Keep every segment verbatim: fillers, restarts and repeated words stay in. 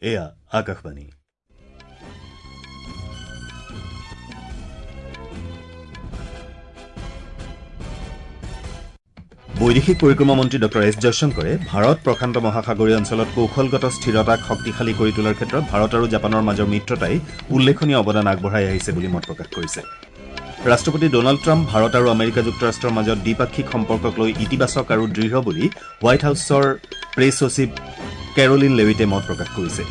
এয়া আকাশবাণী। বৈদেশিক পৰিক্ৰমা মন্ত্ৰী ডঃ এছ জয়শংকৰে ভাৰত প্ৰশান্ত মহাসাগৰীয় অঞ্চলত কৌশলগত স্থিৰতাক শক্তিশালী কৰি তোলাৰ ক্ষেত্ৰত ভাৰত আৰু জাপানৰ মাজৰ মিত্ৰতাই উল্লেখনীয় অৱদান আগবঢ়াই আহিছে বুলি মত প্ৰকাশ কৰিছে। ৰাষ্ট্ৰপতি ডনাল্ড ট্ৰাম্প ভাৰত আৰু আমেৰিকা যুক্তৰাষ্ট্ৰৰ মাজত দ্বিপাক্ষিক সম্পৰ্কক লৈ ইতিবাচক আৰু দৃঢ় বুলি হোৱাইট হাউছৰ প্ৰেছ সচিব কেৰলিন লেভিটে মত প্ৰকাশ কৰিছে।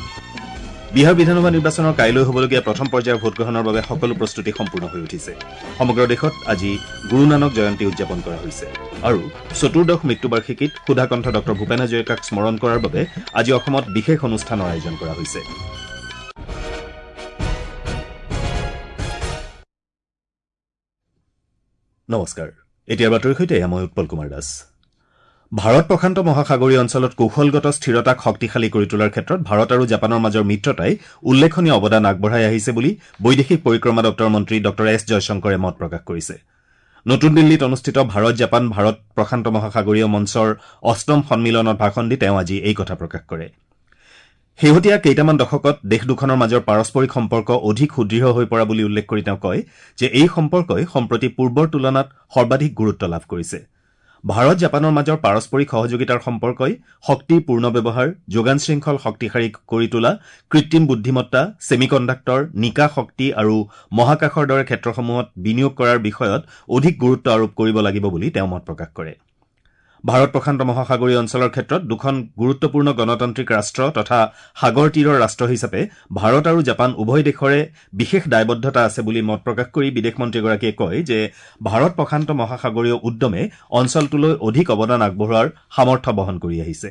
বিহাৰ বিধানসভা নিৰ্বাচনৰ কাইলৈ হ'বলগীয়া প্ৰথম পৰ্যায়ৰ ভোটগ্ৰহণৰ বাবে সকলো প্ৰস্তুতি সম্পূৰ্ণ হৈ উঠিছে। সমগ্ৰ দেশত আজি গুৰু নানক জয়ন্তী উদযাপন কৰা হৈছে আৰু চতুৰ্দশ মৃত্যুবাৰ্ষিকীত সুধাকণ্ঠ ডঃ ভূপেন হাজৰিকাক স্মৰণ কৰাৰ বাবে আজি অসমত বিশেষ অনুষ্ঠানৰ আয়োজন কৰা হৈছে। নমস্কাৰ, এতিয়াৰ বাতৰিৰ সৈতে মই উৎপল কুমাৰ দাস। ভাৰত প্ৰশান্ত মহাসাগৰীয় অঞ্চলত কৌশলগত স্থিৰতাক শক্তিশালী কৰি তোলাৰ ক্ষেত্ৰত ভাৰত আৰু জাপানৰ মাজৰ মিত্ৰতাই উল্লেখনীয় অৱদান আগবঢ়াই আহিছে বুলি বৈদেশিক পৰিক্ৰমা দপ্তৰৰ মন্ত্ৰী ডঃ এছ জয়শংকৰে মত প্ৰকাশ কৰিছে। নতুন দিল্লীত অনুষ্ঠিত ভাৰত জাপান ভাৰত প্ৰশান্ত মহাসাগৰীয় মঞ্চৰ অষ্টম সন্মিলনত ভাষণ দি তেওঁ আজি এই কথা প্ৰকাশ কৰে। শেহতীয়া কেইটামান দশকত দেশ দুখনৰ মাজৰ পাৰস্পৰিক সম্পৰ্ক অধিক সুদৃঢ় হৈ পৰা বুলি উল্লেখ কৰি তেওঁ কয় যে এই সম্পৰ্কই সম্প্ৰতি পূৰ্বৰ তুলনাত সৰ্বাধিক গুৰুত্ব লাভ কৰিছে। ভাৰত জাপানৰ মাজৰ পাৰস্পৰিক সহযোগিতাৰ সম্পৰ্কই শক্তিৰ পূৰ্ণ ব্যৱহাৰ, যোগান শৃংখল শক্তিশালী কৰি তোলা, কৃত্ৰিম বুদ্ধিমত্তা, ছেমিকণ্ডাক্টৰ, নিকা শক্তি আৰু মহাকাশৰ দৰে ক্ষেত্ৰসমূহত বিনিয়োগ কৰাৰ বিষয়ত অধিক গুৰুত্ব আৰোপ কৰিব লাগিব বুলি তেওঁ মত প্ৰকাশ কৰে। ভাৰত প্ৰশান্ত মহাসাগৰীয় অঞ্চলৰ ক্ষেত্ৰত দুখন গুৰুত্বপূৰ্ণ গণতান্ত্ৰিক ৰাষ্ট্ৰ তথা সাগৰ তীৰৰ ৰাষ্ট্ৰ হিচাপে ভাৰত আৰু জাপান উভয় দেশৰে বিশেষ দায়বদ্ধতা আছে বুলি মত প্ৰকাশ কৰি বিদেশ মন্ত্ৰীগৰাকীয়ে কয় যে ভাৰত প্ৰশান্ত মহাসাগৰীয় উদ্যমে অঞ্চলটোলৈ অধিক অৱদান আগবঢ়োৱাৰ সামৰ্থ্য বহন কৰি আহিছে।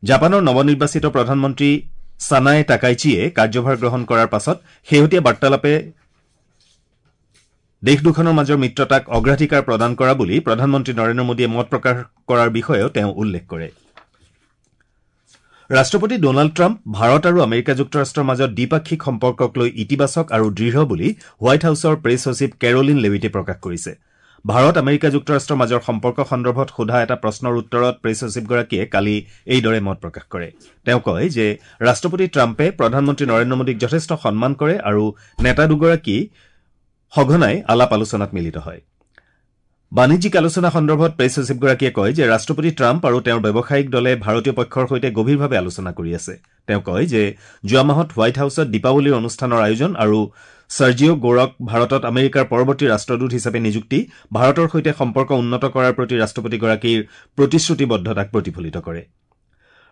জাপানৰ নৱনিৰ্বাচিত প্ৰধানমন্ত্ৰী ছানাই টাকাইচিয়ে কাৰ্যভাৰ গ্ৰহণ কৰাৰ পাছত শেহতীয়া বাৰ্তালাপে দেশ দুখনৰ মাজৰ মিত্ৰতাক অগ্ৰাধিকাৰ প্ৰদান কৰা বুলি প্ৰধানমন্ত্ৰী নৰেন্দ্ৰ মোদীয়ে মত প্ৰকাশ কৰাৰ বিষয়েও তেওঁ উল্লেখ কৰে। ৰাষ্ট্ৰপতি ডনাল্ড ট্ৰাম্প ভাৰত আৰু আমেৰিকা যুক্তৰাষ্ট্ৰৰ মাজত দ্বিপাক্ষিক সম্পৰ্কক লৈ ইতিবাচক আৰু দৃঢ় বুলি হোৱাইট হাউছৰ প্ৰেছ সচিব কেৰলিন লেভিটে প্ৰকাশ কৰিছে। ভাৰত আমেৰিকা যুক্তৰাষ্ট্ৰৰ মাজৰ সম্পৰ্ক সন্দৰ্ভত সোধা এটা প্ৰশ্নৰ উত্তৰত প্ৰেছ সচিবগৰাকীয়ে কালি এইদৰে মত প্ৰকাশ কৰে। তেওঁ কয় যে ৰাষ্ট্ৰপতি ট্ৰাম্পে প্ৰধানমন্ত্ৰী নৰেন্দ্ৰ মোদীক যথেষ্ট সন্মান কৰে আৰু নেতা দুগৰাকী সঘনাই আলাপ আলোচনাত মিলিত হয়। বাণিজ্যিক আলোচনা সন্দৰ্ভত প্ৰেছ সচিবগৰাকীয়ে কয় যে ৰাষ্ট্ৰপতি ট্ৰাম্প আৰু তেওঁৰ ব্যৱসায়িক দলে ভাৰতীয় পক্ষৰ সৈতে গভীৰভাৱে আলোচনা কৰি আছে। তেওঁ কয় যে যোৱা মাহত হোৱাইট হাউছত দীপাৱলীৰ অনুষ্ঠানৰ আয়োজন আৰু ছাৰ্জিঅ' গৌৰক ভাৰতত আমেৰিকাৰ পৰৱৰ্তী ৰাষ্ট্ৰদূত হিচাপে নিযুক্তি ভাৰতৰ সৈতে সম্পৰ্ক উন্নত কৰাৰ প্ৰতি ৰাষ্ট্ৰপতিগৰাকীৰ প্ৰতিশ্ৰুতিবদ্ধতাক প্ৰতিফলিত কৰে।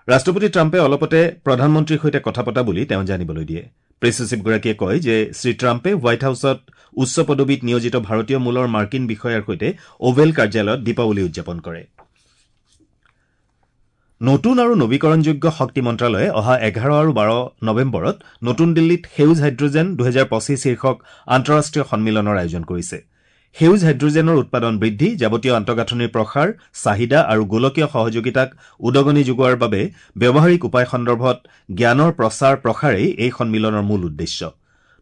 ৰাষ্ট্ৰপতি ট্ৰাম্পে অলপতে প্ৰধানমন্ত্ৰীৰ সৈতে কথা পতা বুলি তেওঁ জানিবলৈ দিয়ে। প্ৰেছ সচিবগৰাকীয়ে কয় যে শ্ৰীট্ৰাম্পে হোৱাইট হাউছত উচ্চ পদবীত নিয়োজিত ভাৰতীয় মূলৰ মাৰ্কিন বিষয়াৰ সৈতে অভেল কাৰ্যালয়ত দীপাৱলী উদযাপন কৰে। নতুন আৰু নবীকৰণযোগ্য শক্তি মন্ত্ৰালয়ে অহা এঘাৰ আৰু বাৰ নৱেম্বৰত নতুন দিল্লীত সেউজ হাইড্ৰজেন দুহেজাৰ পঁচিছ শীৰ্ষক আন্তঃৰাষ্ট্ৰীয় সন্মিলনৰ আয়োজন কৰিছে। সেউজ হাইড্ৰজেনৰ উৎপাদন বৃদ্ধি, যাৱতীয় আন্তঃগাঁথনিৰ প্ৰসাৰ, চাহিদা আৰু গোলকীয় সহযোগিতাক উদগনি যোগোৱাৰ বাবে ব্যৱহাৰিক উপায় সন্দৰ্ভত জ্ঞানৰ প্ৰচাৰ প্ৰসাৰেই এই সন্মিলনৰ মূল উদ্দেশ্য।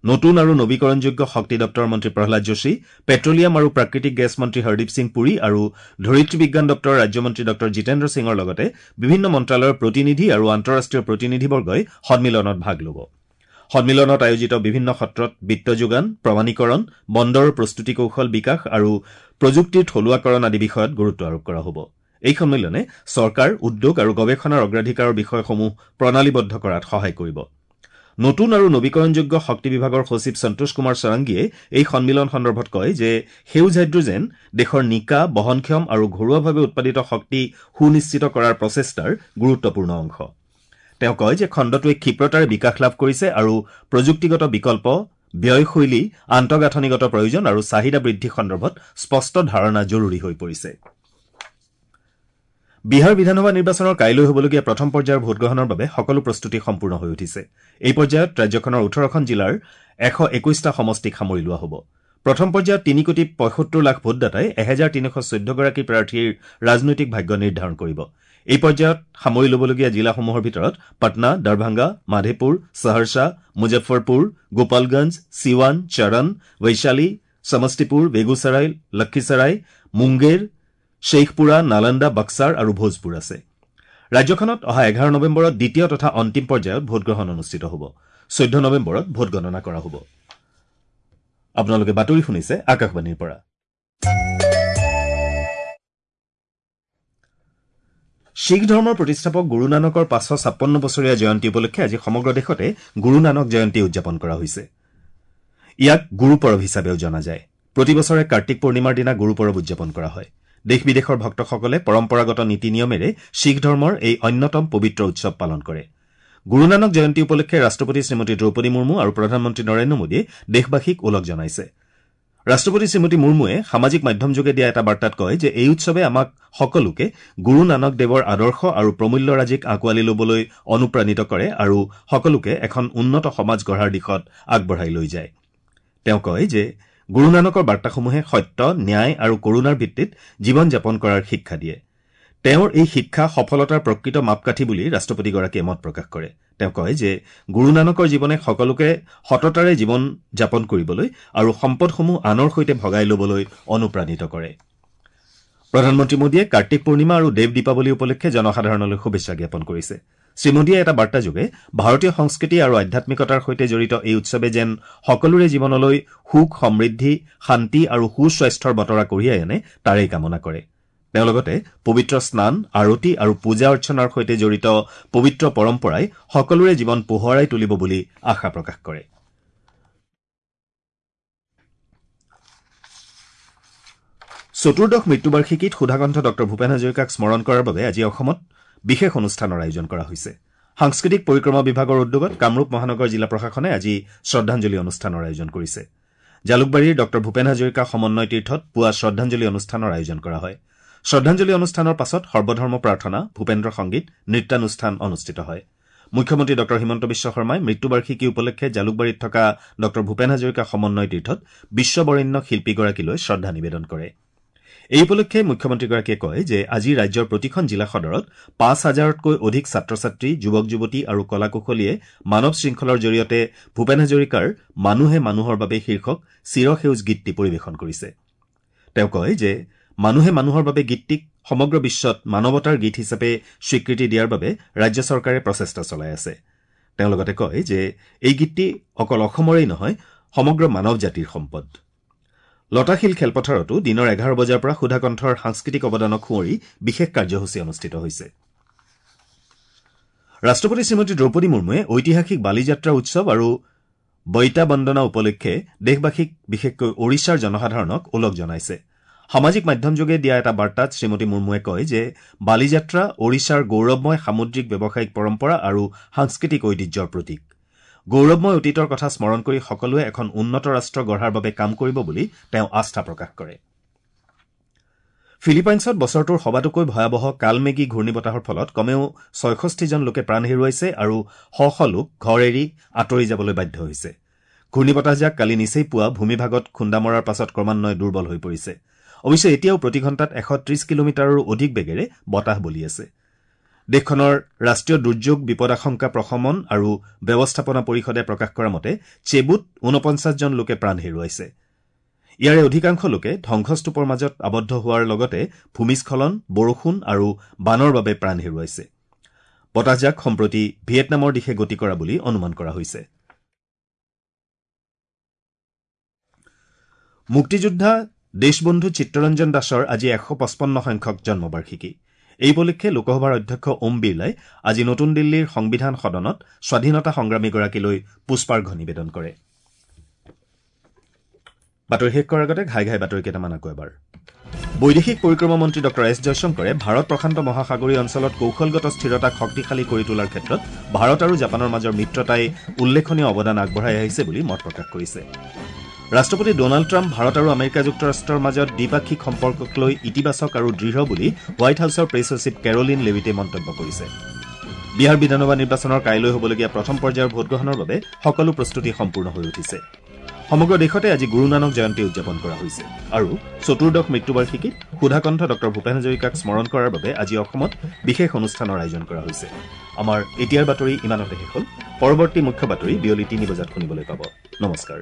নতুন আৰু নবীকৰণযোগ্য শক্তি দপ্তৰৰ মন্ত্ৰী প্ৰহ্লাদ যোশী, পেট্ৰলিয়াম আৰু প্ৰাকৃতিক গেছ মন্ত্ৰী হৰদীপ সিং পুৰী আৰু ধৰিত্ৰী বিজ্ঞান দপ্তৰৰ ৰাজ্যমন্ত্ৰী ডঃ জিতেন্দ্ৰ সিঙৰ লগতে বিভিন্ন মন্ত্ৰালয়ৰ প্ৰতিনিধি আৰু আন্তঃৰাষ্ট্ৰীয় প্ৰতিনিধিবৰ্গই সন্মিলনত ভাগ ল'ব। সন্মিলনত আয়োজিত বিভিন্ন সত্ৰত বিত্ত যোগান, প্ৰমাণীকৰণ, বন্দৰৰ প্ৰস্তুতি কৌশল বিকাশ আৰু প্ৰযুক্তিৰ থলুৱাকৰণ আদি বিষয়ত গুৰুত্ব আৰোপ কৰা হ'ব। এই সন্মিলনে চৰকাৰ, উদ্যোগ আৰু গৱেষণাৰ অগ্ৰাধিকাৰৰ বিষয়সমূহ প্ৰণালীবদ্ধ কৰাত সহায় কৰিব। নতুন আৰু নবীকৰণযোগ্য শক্তি বিভাগৰ সচিব সন্তোষ কুমাৰ সাৰাংগীয়ে এই সন্মিলন সন্দৰ্ভত কয় যে সেউজ হাইড্ৰজেন দেশৰ নিকা, বহনক্ষম আৰু ঘৰুৱাভাৱে উৎপাদিত শক্তি সুনিশ্চিত কৰাৰ প্ৰচেষ্টাৰ গুৰুত্বপূৰ্ণ অংশ। তেওঁ কয় যে খণ্ডটোৱে ক্ষিপ্ৰতাৰে বিকাশ লাভ কৰিছে আৰু প্ৰযুক্তিগত বিকল্প, ব্যয়শৈলী, আন্তঃগাঁথনিগত প্ৰয়োজন আৰু চাহিদা বৃদ্ধি সন্দৰ্ভত স্পষ্ট ধাৰণা জৰুৰী হৈ পৰিছে। বিহাৰ বিধানসভা নিৰ্বাচনৰ কাইলৈ হ'বলগীয়া প্ৰথম পৰ্যায়ৰ ভোটগ্ৰহণৰ বাবে সকলো প্ৰস্তুতি সম্পূৰ্ণ হৈ উঠিছে। এই পৰ্যায়ত ৰাজ্যখনৰ ওঠৰখন জিলাৰ এশ একৈশটা সমষ্টিক সামৰি লোৱা হ'ব। প্ৰথম পৰ্যায়ত তিনি কোটি পঁয়সত্তৰ লাখ ভোটদাতাই এহেজাৰ তিনিশ চৈধ্যগৰাকী প্ৰাৰ্থীৰ ৰাজনৈতিক ভাগ্য নিৰ্ধাৰণ কৰিব। এই পৰ্যায়ত সামৰি ল'বলগীয়া জিলাসমূহৰ ভিতৰত পাটনা, দৰভাংগা, মাধেপুৰ, সহৰসা, মুজফ্ফৰপুৰ, গোপালগঞ্জ, চিৱান, চৰণ, বৈশালী, সমষ্টিপুৰ, বেগুচৰাই, লক্ষীচৰাই, মুংগেৰ, শ্বেইখপুৰা, নালন্দা, বাক্সাৰ আৰু ভোজপুৰ আছে। ৰাজ্যখনত অহা এঘাৰ নৱেম্বৰত দ্বিতীয় তথা অন্তিম পৰ্যায়ত ভোটগ্ৰহণ অনুষ্ঠিত হ'ব। চৈধ্য নৱেম্বৰত ভোটগণনা কৰা হ'ব। আপোনালোকে বাতৰি শুনিছে আকাশবাণীৰ পৰা। শিখ ধৰ্মৰ প্ৰতিষ্ঠাপক গুৰু নানকৰ পাঁচশ ছাপন্ন বছৰীয়া জয়ন্তী উপলক্ষে আজি সমগ্ৰ দেশতে গুৰু নানক জয়ন্তী উদযাপন কৰা হৈছে। ইয়াক গুৰু পৰৱ হিচাপেও জনা যায়। প্ৰতি বছৰে কাৰ্তিক পূৰ্ণিমাৰ দিনা গুৰু পৰৱ উদযাপন কৰা হয়। দেশ বিদেশৰ ভক্তসকলে পৰম্পৰাগত নীতি নিয়মেৰে শিখ ধৰ্মৰ এই অন্যতম পবিত্ৰ উৎসৱ পালন কৰে। গুৰু নানক জয়ন্তী উপলক্ষে ৰাষ্ট্ৰপতি শ্ৰীমতী দ্ৰৌপদী মুৰ্মু আৰু প্ৰধানমন্ত্ৰী নৰেন্দ্ৰ মোদীয়ে দেশবাসীক ওলগ জনাইছে। ৰাষ্ট্ৰপতি শ্ৰীমতী মুৰ্মুৱে সামাজিক মাধ্যমযোগে দিয়া এটা বাৰ্তাত কয় যে এই উৎসৱে আমাক সকলোকে গুৰু নানক দেৱৰ আদৰ্শ আৰু প্ৰমূল্যৰাজিক আঁকোৱালি ল'বলৈ অনুপ্ৰাণিত কৰে আৰু সকলোকে এখন উন্নত সমাজ গঢ়াৰ দিশত আগবঢ়াই লৈ যায়। তেওঁ কয় যে গুৰু নানকৰ বাৰ্তাসমূহে সত্য, ন্যায় আৰু কৰুণাৰ ভিত্তিত জীৱন যাপন কৰাৰ শিক্ষা দিয়ে। তেওঁৰ এই শিক্ষা সফলতাৰ প্ৰকৃত মাপকাঠি বুলি ৰাষ্ট্ৰপতিগৰাকীয়ে মত প্ৰকাশ কৰে। তেওঁ কয় যে গুৰু নানকৰ জীৱনে সকলোকে সততাৰে জীৱন যাপন কৰিবলৈ আৰু সম্পদসমূহ আনৰ সৈতে ভগাই ল'বলৈ অনুপ্ৰাণিত কৰে। প্ৰধানমন্ত্ৰী মোদীয়ে কাৰ্তিক পূৰ্ণিমা আৰু দেৱ দীপাৱলী উপলক্ষে জনসাধাৰণলৈ শুভেচ্ছা জ্ঞাপন কৰিছে। শ্ৰীমোদীয়ে এটা বাৰ্তাযোগে ভাৰতীয় সংস্কৃতি আৰু আধ্যাত্মিকতাৰ সৈতে জড়িত এই উৎসৱে যেন সকলোৰে জীৱনলৈ সুখ, সমৃদ্ধি, শান্তি আৰু সুস্বাস্থ্যৰ বতৰা কঢ়িয়াই আনে তাৰেই কামনা কৰে। তেওঁ লগতে পবিত্ৰ স্নান, আৰতি আৰু পূজা অৰ্চনাৰ সৈতে জড়িত পবিত্ৰ পৰম্পৰাই সকলোৰে জীৱন পোহৰাই তুলিব বুলি আশা প্ৰকাশ কৰে। চতুৰ্দশ মৃত্যুবাৰ্ষিকীত সুধাকণ্ঠ ডঃ ভূপেন হাজৰিকাক স্মৰণ কৰাৰ বাবে আজি অসমত বিশেষ অনুষ্ঠানৰ আয়োজন কৰা হৈছে। সাংস্কৃতিক পৰিক্ৰমা বিভাগৰ উদ্যোগত কামৰূপ মহানগৰ জিলা প্ৰশাসনে আজি শ্ৰদ্ধাঞ্জলি অনুষ্ঠানৰ আয়োজন কৰিছে। জালুকবাৰীৰ ডঃ ভূপেন হাজৰিকা সমন্বয় তীৰ্থত পুৱা শ্ৰদ্ধাঞ্জলি অনুষ্ঠানৰ আয়োজন কৰা হয়। শ্ৰদ্ধাঞ্জলি অনুষ্ঠানৰ পাছত সৰ্বধৰ্ম প্ৰাৰ্থনা, ভূপেন্দ্ৰ সংগীত, নৃত্যানুষ্ঠান অনুষ্ঠিত হয়। মুখ্যমন্ত্ৰী ডঃ হিমন্ত বিশ্ব শৰ্মাই মৃত্যুবাৰ্ষিকী উপলক্ষে জালুকবাৰীত থকা ডঃ ভূপেন হাজৰিকা সমন্বয় তীৰ্থত বিশ্ববৰেণ্য শিল্পীগৰাকীলৈ শ্ৰদ্ধা নিবেদন কৰে। এই উপলক্ষে মুখ্যমন্ত্ৰীগৰাকীয়ে কয় যে আজি ৰাজ্যৰ প্ৰতিখন জিলা সদৰত পাঁচ হাজাৰতকৈ অধিক ছাত্ৰ ছাত্ৰী, যুৱক যুৱতী আৰু কলা কুশলীয়ে মানৱ শৃংখলৰ জৰিয়তে ভূপেন হাজৰিকাৰ মানুহে মানুহৰ বাবে শীৰ্ষক চিৰসেউজ গীতটি পৰিৱেশন কৰিছে। তেওঁ কয় যে মানুহে মানুহৰ বাবে গীতটিক সমগ্ৰ বিশ্বত মানৱতাৰ গীত হিচাপে স্বীকৃতি দিয়াৰ বাবে ৰাজ্য চৰকাৰে প্ৰচেষ্টা চলাই আছে। তেওঁ লগতে কয় যে এই গীতটি অকল অসমৰেই নহয়, সমগ্ৰ মানৱ জাতিৰ সম্পদ। লতাশিল খেলপথাৰতো দিনৰ এঘাৰ বজাৰ পৰা সুধাকণ্ঠৰ সাংস্কৃতিক অৱদানক সুঁৱৰি বিশেষ কাৰ্যসূচী অনুষ্ঠিত হৈছে। ৰাষ্ট্ৰপতি শ্ৰীমতী দ্ৰৌপদী মুৰ্মুৱে ঐতিহাসিক বালিযাত্ৰা উৎসৱ আৰু বৈতা বন্দনা উপলক্ষে দেশবাসীক, বিশেষকৈ ওড়িশাৰ জনসাধাৰণক ওলগ জনাইছে। সামাজিক মাধ্যমযোগে দিয়া এটা বাৰ্তাত শ্ৰীমতী মুৰ্মুৱে কয় যে বালিযাত্ৰা ওড়িশাৰ গৌৰৱময় সামুদ্ৰিক ব্যৱসায়িক পৰম্পৰা আৰু সাংস্কৃতিক ঐতিহ্যৰ প্ৰতীক। গৌৰৱময় অতীতৰ কথা স্মৰণ কৰি সকলোৱে এখন উন্নত ৰাষ্ট্ৰ গঢ়াৰ বাবে কাম কৰিব বুলি তেওঁ আস্থা প্ৰকাশ কৰে। ফিলিপাইনছত বছৰটোৰ সবাতোকৈ ভয়াৱহ কালমেগী ঘূৰ্ণীবতাহৰ ফলত কমেও ছয়ষষ্ঠিজন লোকে প্ৰাণ হেৰুৱাইছে আৰু শ শ লোক ঘৰ এৰি আঁতৰি যাবলৈ বাধ্য হৈছে। ঘূৰ্ণীবতাহজাক কালি নিচেই পুৱা ভূমিভাগত খুন্দা মৰাৰ পাছত ক্ৰমান্বয়ে দুৰ্বল হৈ পৰিছে। অৱশ্যে এতিয়াও প্ৰতি ঘণ্টাত এশ ত্ৰিশ কিলোমিটাৰৰো অধিক বেগেৰে বতাহ বলি আছে। দেশখনৰ ৰাষ্ট্ৰীয় দুৰ্যোগ বিপদাশংকা প্ৰশমন আৰু ব্যৱস্থাপনা পৰিষদে প্ৰকাশ কৰা মতে চেবুত ঊনপঞ্চাছজন লোকে প্ৰাণ হেৰুৱাইছে। ইয়াৰে অধিকাংশ লোকে ধ্বংসস্তূপৰ মাজত আবদ্ধ হোৱাৰ লগতে ভূমিস্খলন, বৰষুণ আৰু বানৰ বাবে প্ৰাণ হেৰুৱাইছে। বতাহজাক সম্প্ৰতি ভিয়েটনামৰ দিশে গতি কৰা বুলি অনুমান কৰা হৈছে। মুক্তিযোদ্ধা দেশবন্ধু চিত্তৰঞ্জন দাসৰ আজি এশ পঁচপন্ন সংখ্যক জন্মবাৰ্ষিকী। এই উপলক্ষে লোকসভাৰ অধ্যক্ষ ওম বিৰলাই আজি নতুন দিল্লীৰ সংবিধান সদনত স্বাধীনতা সংগ্ৰামীগৰাকীলৈ পুষ্পাৰ্ঘ নিবেদন কৰে। বাতৰি শেষ কৰাৰ আগতে ঘাই ঘাই বাতৰি কেইটামান আকৌ এবাৰ। বৈদেশিক পৰিক্ৰমা মন্ত্ৰী ডঃ এছ জয়শংকৰে ভাৰত প্ৰশান্ত মহাসাগৰীয় অঞ্চলত কৌশলগত স্থিৰতাক শক্তিশালী কৰি তোলাৰ ক্ষেত্ৰত ভাৰত আৰু জাপানৰ মাজৰ মিত্ৰতাই উল্লেখনীয় অৱদান আগবঢ়াই আহিছে বুলি মত প্ৰকাশ কৰিছে। ৰাষ্ট্ৰপতি ডনাল্ড ট্ৰাম্প ভাৰত আৰু আমেৰিকা যুক্তৰাষ্ট্ৰৰ মাজত দ্বিপাক্ষিক সম্পৰ্কক লৈ ইতিবাচক আৰু দৃঢ় বুলি হোৱাইট হাউছৰ প্ৰেছ সচিব কেৰলিন লেভিটে মন্তব্য কৰিছে। বিহাৰ বিধানসভা নিৰ্বাচনৰ কাইলৈ হ'বলগীয়া প্ৰথম পৰ্যায়ৰ ভোটগ্ৰহণৰ বাবে সকলো প্ৰস্তুতি সম্পূৰ্ণ হৈ উঠিছে। সমগ্ৰ দেশতে আজি গুৰু নানক জয়ন্তী উদযাপন কৰা হৈছে আৰু চতুৰ্দশ মৃত্যুবাৰ্ষিকীত সুধাকণ্ঠ ডঃ ভূপেন হাজৰিকাক স্মৰণ কৰাৰ বাবে আজি অসমত বিশেষ অনুষ্ঠানৰ আয়োজন কৰা হৈছে। আমাৰ এতিয়াৰ বাতৰি ইমানতে শেষ হ'ল। পৰৱৰ্তী মুখ্য বাতৰি বিয়লি তিনি বজাত শুনিবলৈ পাব। নমস্কাৰ।